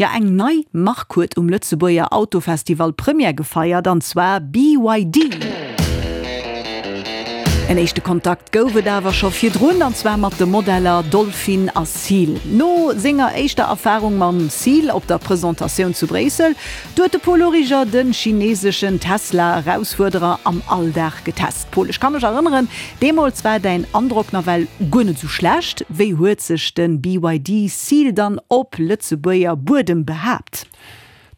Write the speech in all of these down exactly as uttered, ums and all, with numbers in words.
Jo, eng nei Mark huet um Lëtzebuerger Autofestival Première gefeiert, an zwar B Y D. En éischte Kontakt gouf et awer scho virdrun, an zwar mat de Modeller Dolphin a Seal. No senger éischter Erfarung mam Seal op der Presentatioun zu Bréissel, huet de Paul Origer de chineeseschen Tesla-Erausfuerderer am Alldag getest. Paul, ech ka mech erënneren, deemools war däin Androck nawell guer net sou schlecht. Wéi huet sech de B Y D Seal dann op Lëtzebuerger Buedem behaapt?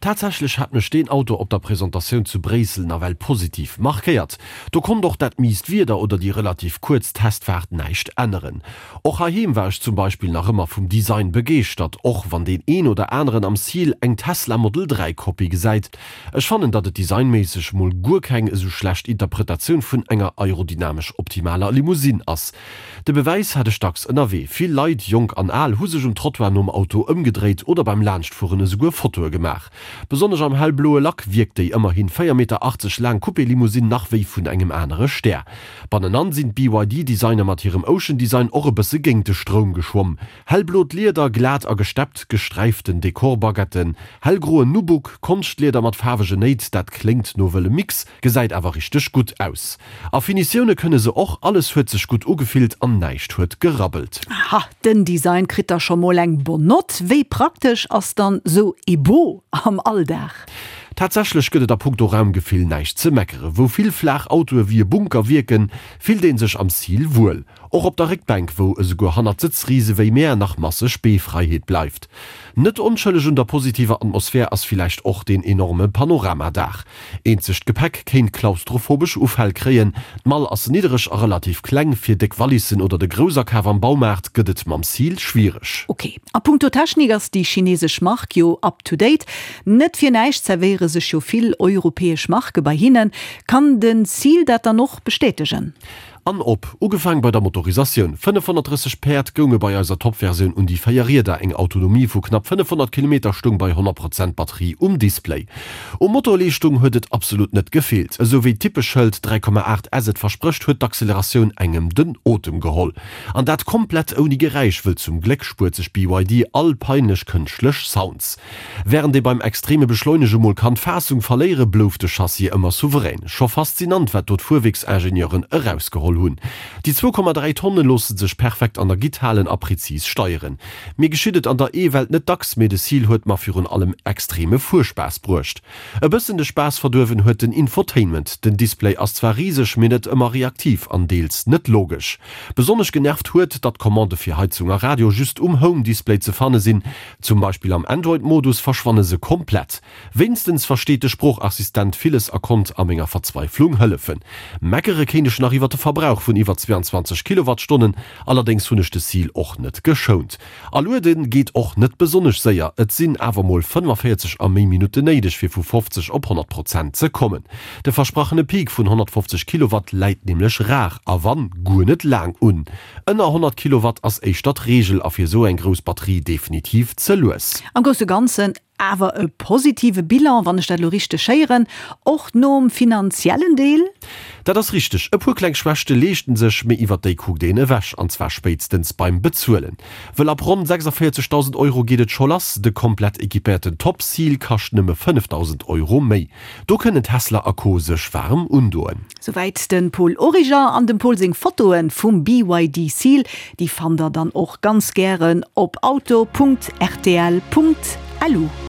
Tatsächlech hat mech deen Auto op der Presentatioun zu Bréissel nawell positiv markéiert. Do konnt och dat miist Wieder oder déi relativ kuerz Testfaart näischt änneren. Och heiheem war ech zum Beispill nach ëmmer vum Design begeeschtert, och wann deen een oder aneren am Seal eng Tesla Model dräi Kopie gesäit. Ech fannen, datt et designméisseg mol guer keng esou schlecht Interpretatioun vun enger aerodynamesch optimaler Limousine ass. De Bewäis hat ech dacks ënnerwee. Vill Leit, jonk an al, hu sech um Trottoir nom Auto ëmgedréit oder beim Laanschtfueren esouguer Fotoe gemaach. Besonnesch am hellbloe Lack wierkt déi ëmmerhi véier Meter achtzeg laang Coupé-Limousine nach wéi vun engem anere Stär. Bannenan sinn d'B Y D-Designer mat hirem Ocean Design och e bësse géint de Stroum geschwomm. Hellblot Lieder, glat a gesteppt, gesträiften Dekorbaguetten, hellgroen Nubuck, Konschtlieder mat faarwegen Néit, dat kléngt no wëllem Mix, gesäit awer richteg gutt aus. A Finitioune kënne se och, alles huet sech gutt ugefillt an näischt huet gerabbelt. Aha, den Design kritt da scho mol eng bonne Nott. Wéi praktesch ass dann sou e Boot am Alldag? Tatsächlech gëtt et a punkto Raumgefill näischt ze meckeren. Wou vill flaach Autoe wéi e Bunker wierken, fillt ee sech am Seal wuel. Och op der Réckbänk, wou esouguer hannert Sëtzrise wéi mär nach masseg Beefräiheet bleift. Net onschëlleg un der positiver Atmosphär ass villäicht och deen enorme Panoramadaach. Eenzeg d'Gepäck kéint klaustrophobesch Ufäll kréien, d'Mall ass niddereg a relativ kleng, fir déck Wallissen oder de Groussakaf am Baumaart gëtt et mam Seal schwiereg. Ok, a punkto Technik ass déi chineesesch Mark jo up to date. Net fir näischt zerwéiere sech jo vill europäesch Marke bei hinnen. Kann den Seal dat dann och bestätegen? An op, ugefaang bei der Motorisatioun, fënnefhonnertdrësseg Päerd gounge bei eiser Top-Versioun un déi véier Rieder, eng Autonomie vu knapp fënnefhonnert Kilometer stoung bei honnert Prozent Batterie um Display. U Motorleeschtung huet et absolut net gefeelt. Esou wéi d'Typeschëld dräi Komma aacht S et versprécht, huet d'Acceleratioun engem den Otem geholl. An dat komplett ouni Geräisch, wëll zum Gléck spuert sech B Y D all peinlech kënschtlech Sounds. Wärend ee beim extreme Beschleunege mol kann d'Faassung verléiere, blouf de Chassis ëmmer souverän. Scho faszinant, wat do d'Fuerwierksingenieuren erausgeholl hunn. Déi zwou Komma dräi Tonne loosse sech perfekt an der Gitt halen a prezis steieren. Mir geschitt et an der E-Welt net dacks, mee de Seal huet mer virun allem extreme Fuerspaass bruecht. E bëssen de Spaass verduerwen huet den Infotainment. Den Display ass zwar riseg, mee net ëmmer reaktiv an deels net logesch. Besonnesch genervt huet, datt d'Commandë fir Heizung a Radio just um Home-Display ze fanne sinn. Zum Beispill am Android-Modus verschwanne se komplett. Wéinstens versteet de Sproochassistent villes a konnt a menger Verzweiflung hëllefen. Meckere kéint ech nach iwwer de Verbrauch vun iwwer zweianzwanzeg Kilowattstonnen, allerdéngs hunn ech de Seal och net geschount. A luede geet och net besonnesch séier, et sinn awer mol fënnefenvéierzeg a méi Minutten néideg fir vu fofzeg op honnert Prozent ze kommen. De versprachene Peak vun honnertfofzeg Kilowatt läit nämlech rar a wann, guer net laang un. Ënner honnert Kilowatt ass éischter d'Reegel a fir esou eng grouss Batterie definitiv ze lues. Am grousse Ganzen awer e positive Bilan, wann ech dat elo richteg héieren, och nom finanziellen Deel? Dat ass richteg, e puer kleng Schwächte leeschten sech, mee iwwer déi kuckt een ewech, an zwar spéitstens beim Bezuelen. Wëll ab ronn sechsundvéierzegdausend Euro geet et scho lass, de komplett equipéierten Top Seal kascht nëmme fënnefdausend Euro méi. Do kënnen Tesla a Co sech waarem undoen. Souwäit de Paul Origer. An dem Paul seng Fotoe vum B Y D Seal, déi fannt der dann och ganz gären op auto Punkt R T L Punkt L U.